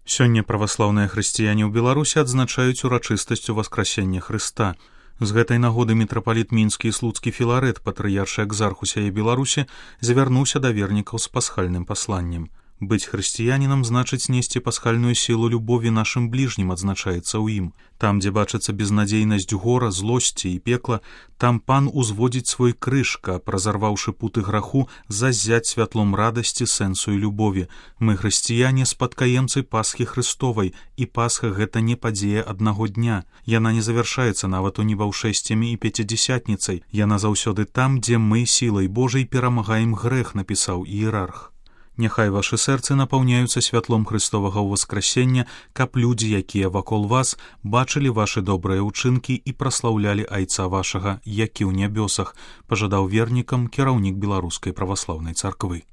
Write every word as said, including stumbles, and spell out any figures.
Сёння праваслаўныя хрысціяне ў Беларусі адзначаюць урачыстасць уваскрасення Хрыста. З гэтай нагоды мітрапаліт мінскі і слуцкі Філарэт, патрыяршы экзарх усяе Беларусі, завярнуўся да вернікаў з пасхальным пасланнем. Быць хрысціянінам значыць несці пасхальную сілу любові нашым бліжнім, адзначаецца ў ім. Там, дзе бачыцца безнадзейнасць гора, злосці і пекла, там пан узводзіць свой крыж, каб, разарваўшы путы граху, заззяць святлом радасці, сэнсу і любові. Мы, хрысціяне, спадкаемцы Пасхі Хрыстовай, і Пасха — гэта не падзея аднаго дня. Яна не завяршаецца нават у небаўшэсцямі і пяцідзясятніцай. Яна заўсёды там, дзе мы сілай Божай перамагаем грэх, напісаў іерарх. Няхай вашы сэрцы напаўняюцца святлом Хрыстовага ўваскрасення, каб людзі, якія вакол вас, бачылі вашы добрыя ўчынкі і праслаўлялі Айца вашага, які ў нябёсах, пажадаў вернікам кіраўнік Беларускай праваслаўнай царквы.